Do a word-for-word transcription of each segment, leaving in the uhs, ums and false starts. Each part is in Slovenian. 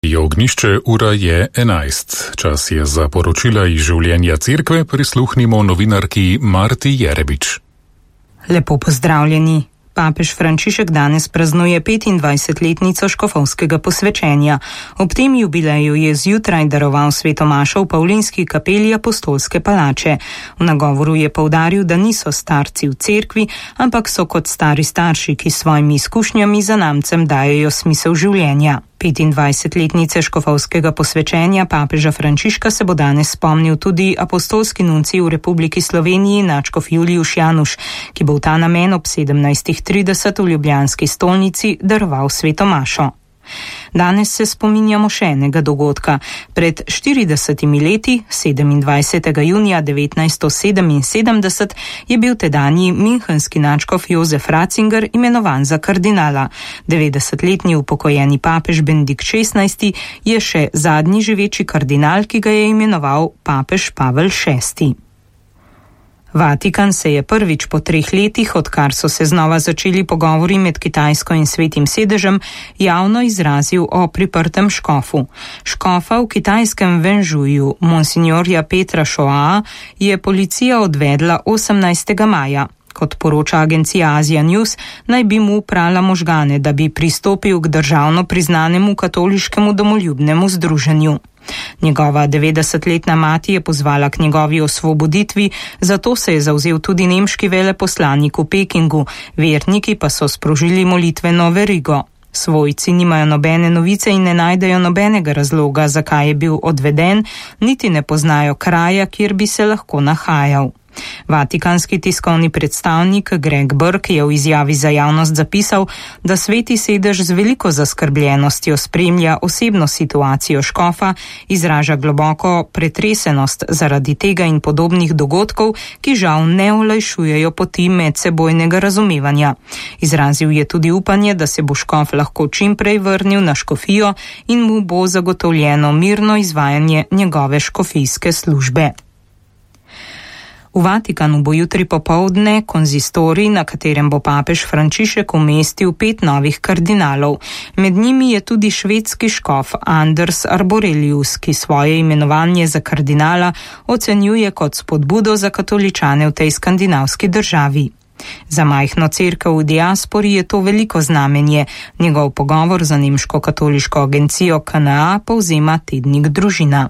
Je ognišče, ura je enajst. Čas je za poročila iz življenja cerkve, prisluhnimo novinarki Marti Jerebič. Lepo pozdravljeni. Papež Frančišek danes praznuje petindvajsetletnico škofovskega posvečenja. Ob tem jubileju je zjutraj daroval sveto mašo v Pavlinski kapeli Apostolske palače. V nagovoru je poudaril, da niso starci v cerkvi, ampak so kot stari starši, ki s svojimi izkušnjami zanamcem dajejo smisel življenja. petindvajsetletnice škofovskega posvečenja papeža Frančiška se bo danes spomnil tudi apostolski nuncij v Republiki Sloveniji nadškof Julijuš Januš, ki bo v ta namen ob sedemnajstih trideset v ljubljanski stolnici daroval sveto mašo. Danes se spominjamo še enega dogodka. Pred štiridesetimi leti, sedemindvajsetega junija devetnajststo sedeminsedemdeset, je bil tedanji münchenski nadškof Jozef Ratzinger imenovan za kardinala. devetdesetletni upokojeni papež Benedikt šestnajsti je še zadnji živeči kardinal, ki ga je imenoval papež Pavel šesti. Vatikan se je prvič po treh letih, odkar so se znova začeli pogovori med Kitajsko in Svetim sedežem, javno izrazil o priprtem škofu. Škofa v kitajskem Venžuju, monsignorja Petra Šoaa, je policija odvedla osemnajstega maja. Kot poroča agencija Asia News, naj bi mu prala možgane, da bi pristopil k državno priznanemu katoliškemu domoljubnemu združenju. Njegova devetdesetletna mati je pozvala k njegovi osvoboditvi, zato se je zavzel tudi nemški veleposlanik v Pekingu, verniki pa so sprožili molitveno verigo. Svojci nimajo nobene novice in ne najdejo nobenega razloga, zakaj je bil odveden, niti ne poznajo kraja, kjer bi se lahko nahajal. Vatikanski tiskovni predstavnik Greg Burke je v izjavi za javnost zapisal, da Sveti sedež z veliko zaskrbljenostjo spremlja osebno situacijo škofa, izraža globoko pretresenost zaradi tega in podobnih dogodkov, ki žal ne olajšujejo poti medsebojnega razumevanja. Izrazil je tudi upanje, da se bo škof lahko čim prej vrnil na škofijo in mu bo zagotovljeno mirno izvajanje njegove škofijske službe. V Vatikanu bo jutri popoldne konzistorij, na katerem bo papež Frančišek umestil pet novih kardinalov. Med njimi je tudi švedski škof Anders Arborelius, ki svoje imenovanje za kardinala ocenjuje kot spodbudo za katoličane v tej skandinavski državi. Za majhno cerkev v diaspori je to veliko znamenje. Njegov pogovor za nemško katoliško agencijo K N A povzema tednik Družina.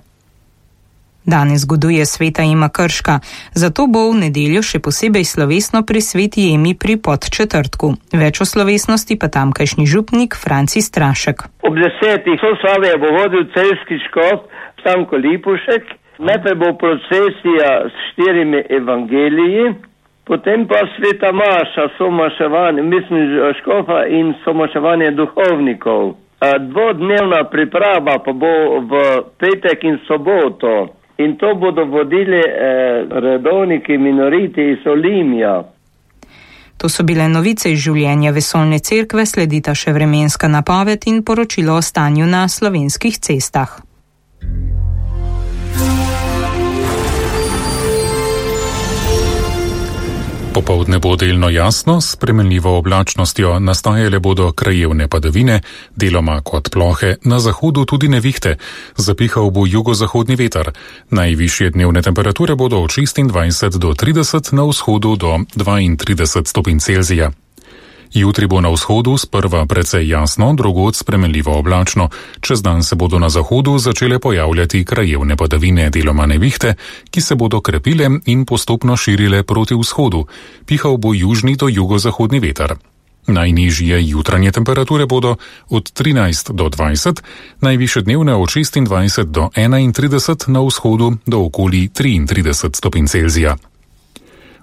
Danes goduje sveta Ema Krška, zato bo v nedeljo še posebej slovesno pri sveti Emi pri Podčetrtku. Več o slovesnosti pa tamkajšnji župnik Franci Strašek. Ob desetih slavje bo vodil celjski škof Stanko Lipušek, najprej bo procesija s štirimi evangeliji, potem pa sveta maša, somaševanje, mislim škofa in somaševanje duhovnikov. Dvodnevna priprava pa bo v petek in soboto. In to bodo vodili eh, redovniki minoriti iz Olimja. To so bile novice iz življenja vesoljne cerkve, sledita še vremenska napoved in poročilo o stanju na slovenskih cestah. Popoldne bo delno jasno, s spremenljivo oblačnostjo, nastajale bodo krajevne padavine, deloma kot plohe, na zahodu tudi nevihte. Zapihal bo jugozahodni veter. Najvišje dnevne temperature bodo od šestindvajset do trideset, na vzhodu do dvaintrideset stopinj Celzija. Jutri bo na vzhodu sprva precej jasno, drugod spremenljivo oblačno. Čez dan se bodo na zahodu začele pojavljati krajevne padavine, deloma nevihte, ki se bodo krepile in postopno širile proti vzhodu. Pihal bo južni do jugozahodni veter. Najnižje jutranje temperature bodo od trinajst do dvajset, najvišje dnevne od šestindvajset do enaintrideset, na vzhodu do okoli triintrideset stopinj Celzija.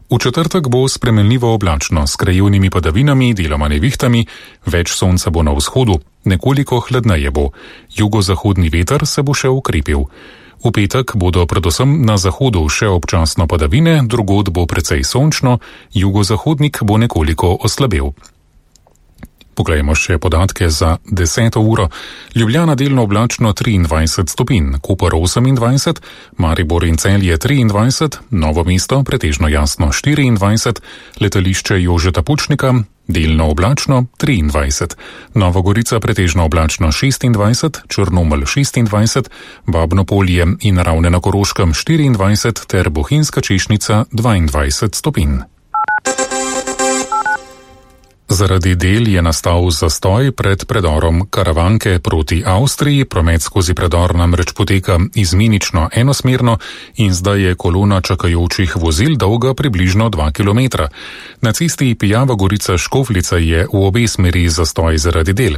V četrtek bo spremenljivo oblačno, s krajevnimi padavinami, deloma nevihtami, več sonca bo na vzhodu, nekoliko hladneje bo. Jugozahodni veter se bo še ukrepil. V petek bodo predvsem na zahodu še občasno padavine, drugod bo precej sončno, jugozahodnik bo nekoliko oslabel. Poglejmo še podatke za deseto uro. Ljubljana delno oblačno triindvajset stopinj, Koper osemindvajset, Maribor in Celje triindvajset, Novo mesto pretežno jasno štiriindvajset, letališče Jožeta Pučnika delno oblačno triindvajset, Nova Gorica pretežno oblačno šestindvajset, Črnomelj šestindvajset, Babno Polje in Ravne na Koroškem štiriindvajset ter Bohinjska Češnica dvaindvajset stopinj. Zaradi del je nastal zastoj pred predorom Karavanke proti Avstriji, promet skozi predor namreč poteka izmenično enosmerno in zdaj je kolona čakajočih vozil dolga približno dva kilometra. Na cesti Pijava Gorica Škofljica je v obe smeri zastoj zaradi del.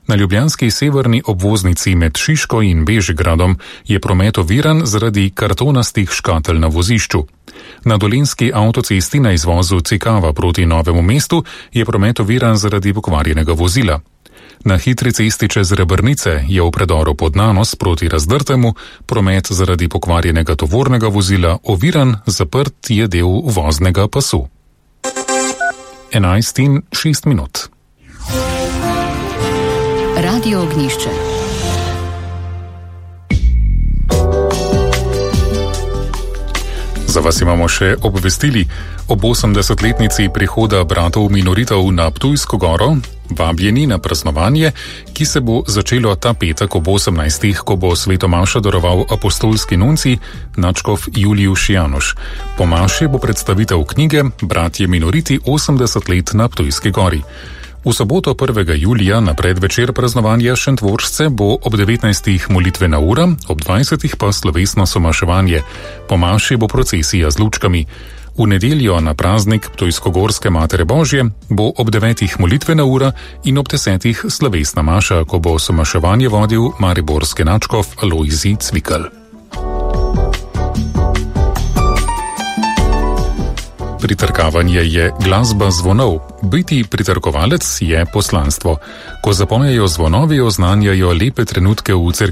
Na ljubljanski severni obvoznici med Šiško in Bežigradom je promet oviran zaradi kartonastih škatel na vozišču. Na dolenjski avtocesti na izvozu Cikava proti Novemu mestu je promet oviran zaradi pokvarjenega vozila. Na hitri cesti čez Rebrnice je v predoru pod Nanos proti Razdrtemu promet zaradi pokvarjenega tovornega vozila oviran, zaprt je del voznega pasu. enajst in šest minut. Radio Ognjišče. Za vas imamo še obvestili. Ob osemdesetletnici prihoda bratov minoritov na Ptujsko goro vabljeni na praznovanje, ki se bo začelo ta petek ob osemnajstih, ko bo svetomašo daroval apostolski nuncij nadškof Julijuš Januš. Po maši bo predstavitev knjige Bratje minoriti osemdeset let na Ptujski gori. V soboto prvega julija na predvečer praznovanja Šentvoršce bo ob devetnajstih molitvena ura, ob dvajsetih pa slovesno somaševanje. Po maši bo procesija z lučkami. V nedeljo na praznik Ptujskogorske Matere Božje bo ob devetih molitvena ura in ob desetih slovesna maša, ko bo somaševanje vodil mariborski nadškof Lojzij Cvikl. Pritrkavanje je glasba zvonov, biti pritrkovalec je poslanstvo. Ko zapojejo zvonovi, oznanjajo lepe trenutke v cerkvi.